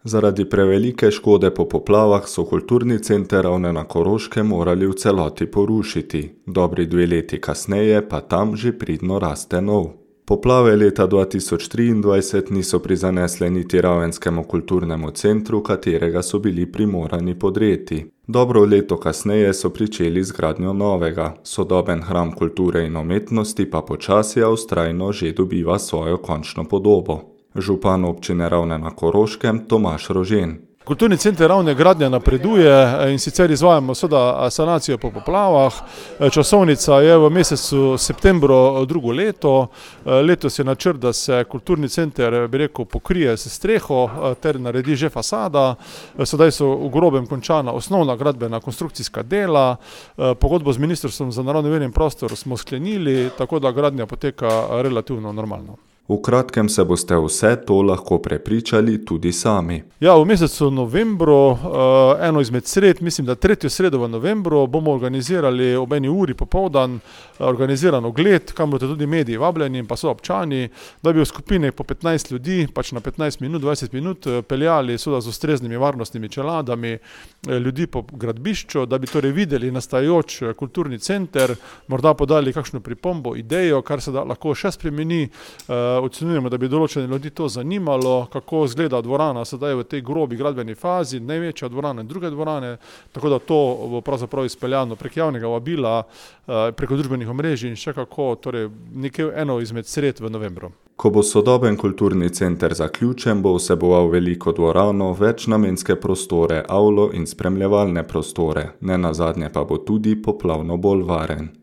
Zaradi prevelike škode po poplavah so kulturni center Ravne na Koroškem morali v celoti porušiti. Dobri 2 leti kasneje pa tam že pridno raste nov. Poplave leta 2023 niso prizanesle niti Ravenskemu kulturnemu centru, katerega so bili primorani podreti. Dobro leto kasneje so pričeli z gradnjo novega. Sodoben hram kulture in umetnosti pa počasi a vztrajno že dobiva svojo končno podobo. Župan občine Ravne na Koroškem Tomaž Rožen. Kulturni center Ravne gradnja napreduje in sicer izvajamo sanacijo po poplavah. Časovnica je v mesecu septembru drugo leto. Letos je načrt, da se kulturni center, pokrije s streho ter naredi že fasada. Sedaj so v grobem končana osnovna gradbena konstrukcijska dela. Pogodbo z Ministrstvom za naravne vire in prostor smo sklenili, tako da gradnja poteka relativno normalno. V kratkem se boste vse to lahko prepričali tudi sami. Ja, v mesecu novembru, eno izmed sred, mislim, da 3. sredo v novembru, bomo organizirali ob 1 uri popoldan organiziran ogled, kam bodo tudi mediji vabljeni in pa so občani, da bi v skupine po 15 ljudi, pač na 15 minut, 20 minut peljali z ustreznimi varnostnimi čeladami ljudi po gradbišču, da bi torej videli nastajajoč kulturni center, morda podali kakšno pripombo, idejo, kar se lahko še spremeni. Ocenjujemo, da bi določene ljudi to zanimalo, kako izgleda dvorana sedaj v tej grobi gradbeni fazi, največja dvorana in druge dvorane, tako da to bo pravzaprav izpeljano prek javnega vabila, preko družbenih omrežij in še kako, torej eno izmed sred v novembru. Ko bo sodoben kulturni center zaključen, bo vseboval veliko dvorano, večnamenske prostore, avlo in spremljevalne prostore, nenazadnje pa bo tudi poplavno bolj varen.